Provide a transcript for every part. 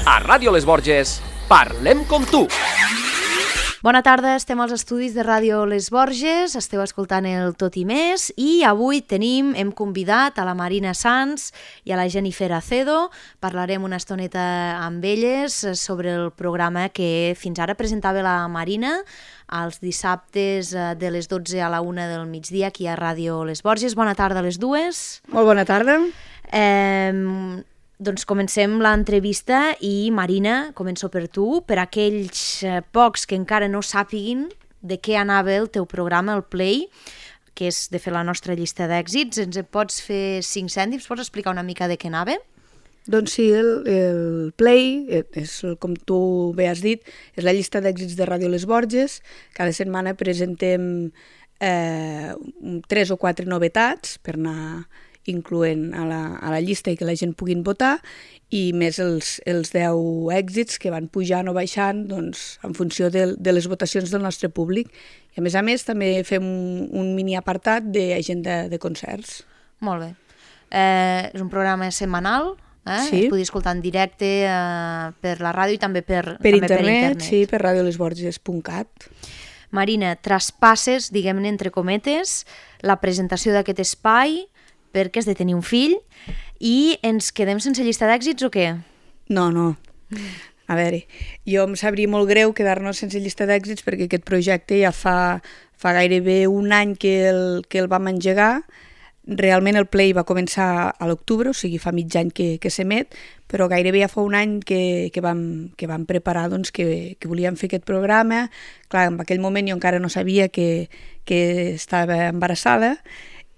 A Ràdio Les Borges, parlem com tu. Bona tarda, estem als estudis de Ràdio Les Borges, esteu escoltant el Tot i Més i avui hem convidat a la Marina Sans i a la Jennifer Acedo. Parlarem una estoneta amb elles sobre el programa que fins ara presentava la Marina els dissabtes de les 12 a la 1 del migdia aquí a Ràdio Les Borges. Bona tarda a les dues. Molt bona tarda. Doncs comencem l'entrevista i Marina, començo per tu, per aquells pocs que encara no sàpiguin de què anava el teu programa, el Play, que és de fer la nostra llista d'èxits. Ens en pots fer 5 cèntims? Pots explicar una mica de què anava? Doncs sí, el Play, com tu bé has dit, és la llista d'èxits de Ràdio Les Borges. Cada setmana presentem 3 o 4 novetats per anar incloent a la llista i que la gent puguin votar, i més els 10 èxits que van pujant o baixant doncs, en funció de les votacions del nostre públic. I a més també fem un mini apartat d'agenda de concerts. Molt bé. És un programa setmanal, sí. Es podia escoltar en directe per la ràdio i també per internet. Sí, per radiolesborges.cat. Marina, traspasses, diguem-ne entre cometes, la presentació d'aquest espai perquè has de tenir un fill i ens quedem sense llista d'èxits o què? No. A veure, jo em sabria molt greu quedar-nos sense llista d'èxits perquè aquest projecte ja fa gairebé un any que el vam engegar. Realment el Play va començar a l'octubre, o sigui, fa mig any que s'emet, però gairebé ja fa un any que vam preparar doncs, que volíem fer aquest programa. Clar, en aquell moment jo encara no sabia que estava embarassada,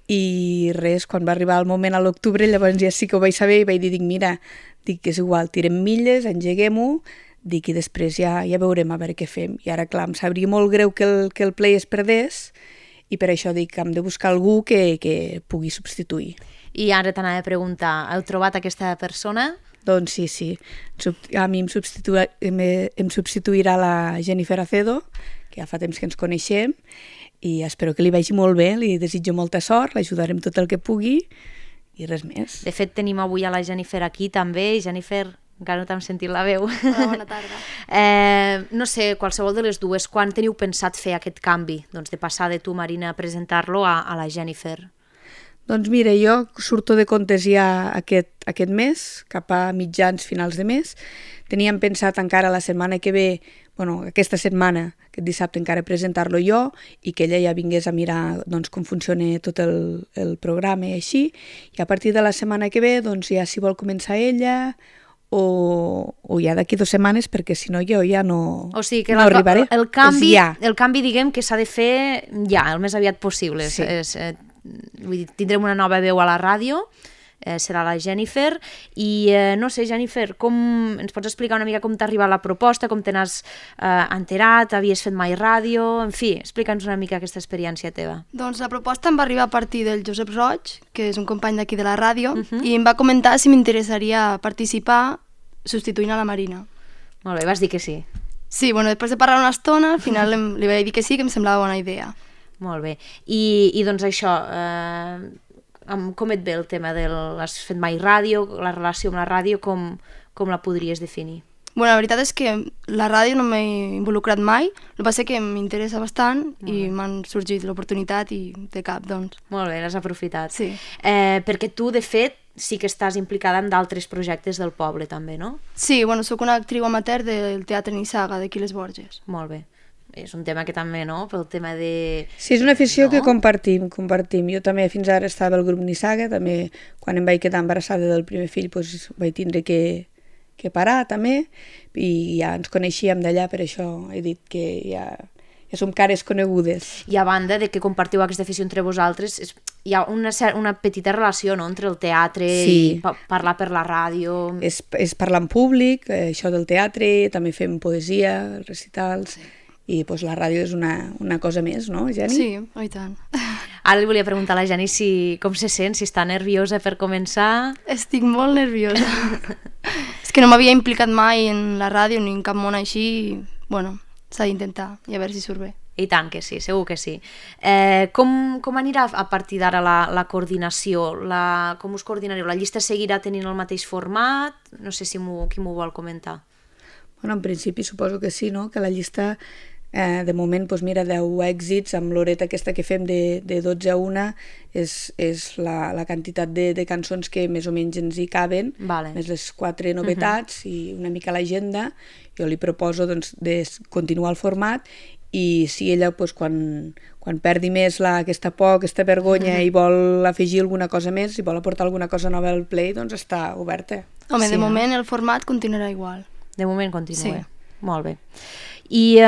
i res, quan va arribar el moment a l'octubre, llavors ja sí que ho vaig saber i vaig dir, dic que és igual, tirem milles, engeguem-ho, i després ja veurem a veure què fem. I ara, clar, em sabria molt greu que el Play es perdés, i per això dic que hem de buscar algú que pugui substituir. I ara t'anava a preguntar, heu trobat aquesta persona? Doncs sí. A mi em substituirà la Jennifer Acedo, que ja fa temps que ens coneixem, i espero que li vagi molt bé, li desitjo molta sort, l'ajudarem tot el que pugui i res més. De fet, tenim avui a la Jennifer aquí també. Jennifer, encara no t'hem sentit la veu. Hola, bona tarda. No sé, qualsevol de les dues, quan teniu pensat fer aquest canvi? Doncs de passar de tu, Marina, a presentar-lo a la Jennifer. Doncs mira, jo surto de comptes ja aquest mes, cap a mitjans, finals de mes. Teníem pensat encara la setmana que ve, aquesta setmana, aquest dissabte encara presentar-lo jo i que ella ja vingués a mirar doncs, com funciona tot el programa i així. I a partir de la setmana que ve, doncs ja si vol començar ella o ja d'aquí 2 setmanes, perquè si no jo ja no, o sigui que no arribaré. El canvi diguem que s'ha de fer ja, el més aviat possible. Sí. Vull dir, tindrem una nova veu a la ràdio, serà la Jennifer, i no sé, Jennifer, ens pots explicar una mica com t'ha arribat la proposta, com te n'has enterat, havies fet mai ràdio, en fi, explica'ns una mica aquesta experiència teva. Doncs la proposta em va arribar a partir del Josep Roig, que és un company d'aquí de la ràdio, i em va comentar si m'interessaria participar substituint a la Marina. Molt bé, vas dir que sí. Sí, després de parlar una estona, al final li vaig dir que sí, que em semblava bona idea. Molt bé, i doncs això, com et ve el tema has fet mai ràdio, la relació amb la ràdio, com la podries definir? La veritat és que la ràdio no m'he involucrat mai, el que passa és que m'interessa bastant i m'han sorgit l'oportunitat i de cap, doncs. Molt bé, l'has aprofitat. Sí. Perquè tu, de fet, sí que estàs implicada en d'altres projectes del poble, també, no? Sí, soc una actriu amateur del Teatre Nissaga, d'aquí Les Borges. Molt bé. És un tema que també, no?, pel tema de... Sí, és una afició que compartim. Jo també fins ara estava al grup Nissaga, també quan em vaig quedar embarassada del primer fill doncs vaig tindre que parar també, i ja ens coneixíem d'allà, per això he dit que ja som cares conegudes. I a banda de que compartiu aquesta afició entre vosaltres, hi ha una petita relació, no?, entre el teatre i parlar per la ràdio... És parlar en públic, això del teatre, també fem poesia, recitals... I la ràdio és una cosa més, no, Geni? Sí, i tant. Ara li volia preguntar a la Geni com se sent, si està nerviosa per començar. Estic molt nerviosa. És que no m'havia implicat mai en la ràdio ni en cap món així, s'ha d'intentar i a veure si surt bé. I tant que sí, segur que sí. Com anirà a partir d'ara la coordinació? Com us coordinareu? La llista seguirà tenint el mateix format? No sé si qui m'ho vol comentar. Bueno, en principi suposo que sí, no? Que la llista, de moment, doncs mira, 10 èxits, amb l'horeta aquesta que fem de 12 a 1, és la quantitat de cançons que més o menys ens hi caben, més les 4 novetats i una mica l'agenda. Jo li proposo doncs, de continuar el format, i si ella quan perdi més aquesta por, aquesta vergonya i vol afegir alguna cosa més, si vol aportar alguna cosa nova al Play, doncs està oberta. Home, de moment el format continuarà igual. De moment continua. Sí. Molt bé. I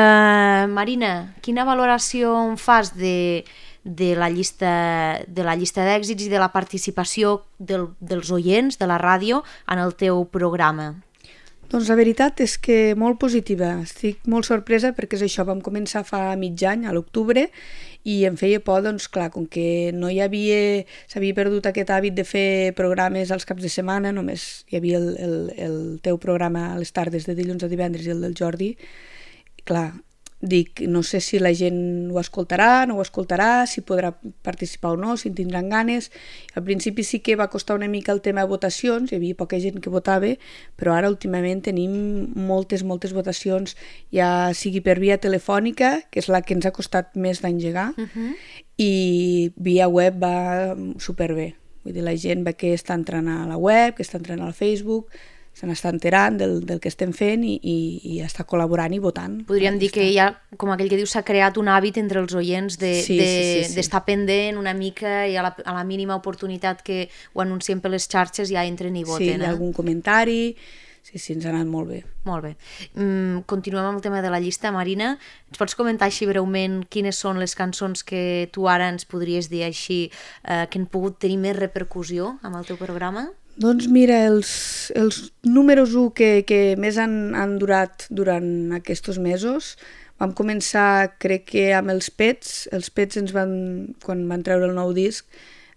Marina, quina valoració en fas de la llista d'èxits i de la participació dels oients de la ràdio en el teu programa? Doncs la veritat és que molt positiva. Estic molt sorpresa perquè és això, vam començar fa mig any, a l'octubre, i em feia por, doncs clar, com que no s'havia perdut aquest hàbit de fer programes als caps de setmana, només hi havia el teu programa a les tardes de dilluns a divendres i el del Jordi. Clar, dic, no sé si la gent ho escoltarà, no ho escoltarà, si podrà participar o no, si en tindran ganes. Al principi sí que va costar una mica el tema de votacions, hi havia poca gent que votava, però ara últimament tenim moltes votacions, ja sigui per via telefònica, que és la que ens ha costat més d'engegar, i via web va superbé. Vull dir, la gent ve que està entrant a la web, que està entrant al Facebook, se n'està enterant del que estem fent i està col·laborant i votant. Podríem dir que ja, com aquell que diu, s'ha creat un hàbit entre els oients d'estar pendent una mica i a la mínima oportunitat que ho anunciem per les xarxes ja entren i voten. Sí, hi ha algun comentari. Sí, ens ha anat molt bé. Molt bé. Continuem amb el tema de la llista. Marina, ens pots comentar així breument quines són les cançons que tu ara ens podries dir així que han pogut tenir més repercussió amb el teu programa? Doncs mira, els números 1 que més han durat durant aquests mesos, vam començar, crec que amb els Pets. Els Pets quan van treure el nou disc,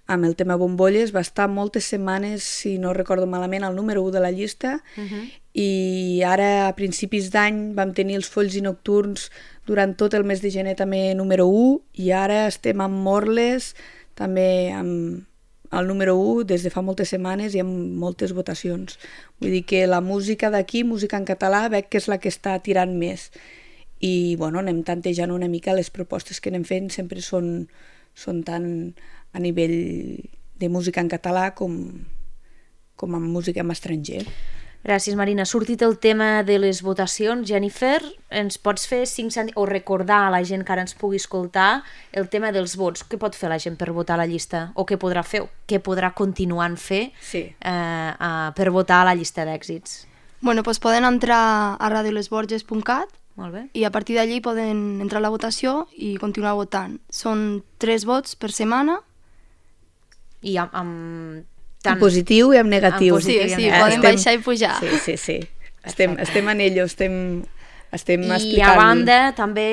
amb el tema Bombolles, va estar moltes setmanes, si no recordo malament, al número 1 de la llista, i ara a principis d'any vam tenir els Folls i Nocturns durant tot el mes de gener també número 1, i ara estem amb Morles, també amb el número 1 des de fa moltes setmanes i amb moltes votacions. Vull dir que la música d'aquí, música en català, veig que és la que està tirant més. I bueno, anem tantejant una mica, les propostes que anem fent sempre són tant a nivell de música en català com amb música en estranger. Gràcies, Marina. Ha sortit el tema de les votacions. Jennifer, ens pots fer 5 cèntims o recordar a la gent que ara ens pugui escoltar el tema dels vots? Què pot fer la gent per votar a la llista? O què podrà fer? Què podrà continuar fer per votar a la llista d'èxits? Bueno, doncs poden entrar a radiolesborges.cat i a partir d'allí poden entrar a la votació i continuar votant. Són 3 vots per setmana. I amb... En positiu i en negatiu. Sí, poden baixar i pujar. Sí. Estem en ello, estem explicant. I a banda també...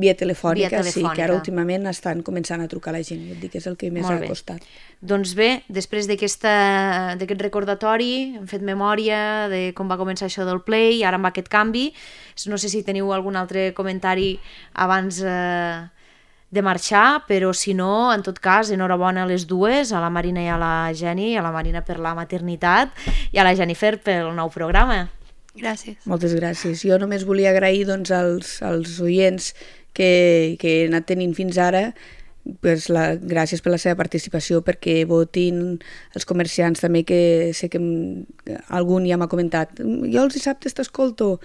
Via telefònica, sí, que ara últimament estan començant a trucar a la gent, que és el que més ha costat. Doncs bé, després d'aquest recordatori, hem fet memòria de com va començar això del Play, ara amb aquest canvi. No sé si teniu algun altre comentari abans de marxar, però si no, en tot cas, enhorabona a les dues, a la Marina i a la Jenny, a la Marina per la maternitat i a la Jennifer pel nou programa. Gràcies. Moltes gràcies. Jo només volia agrair doncs, als oients que he anat tenint fins ara, pues, gràcies per la seva participació, perquè votin els comerciants també, que sé que algun ja m'ha comentat, jo els dissabtes t'escolto,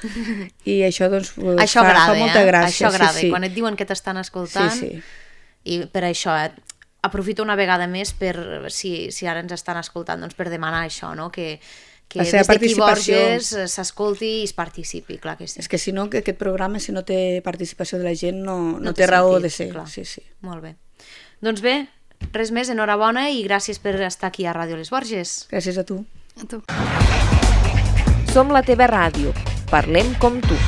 i això doncs fa molta gràcia. Això agrada, quan et diuen que t'estan escoltant, i per això aprofito una vegada més per, si ara ens estan escoltant, doncs per demanar això, no? Que des d'aquí Borges s'escolti i es participi, clar que sí. És que si no, aquest programa, si no té participació de la gent, no té raó de ser. Sí. Molt bé. Doncs bé, res més, enhorabona i gràcies per estar aquí a Ràdio Les Borges. Gràcies a tu. A tu. Som la teva ràdio. Parlem com tu.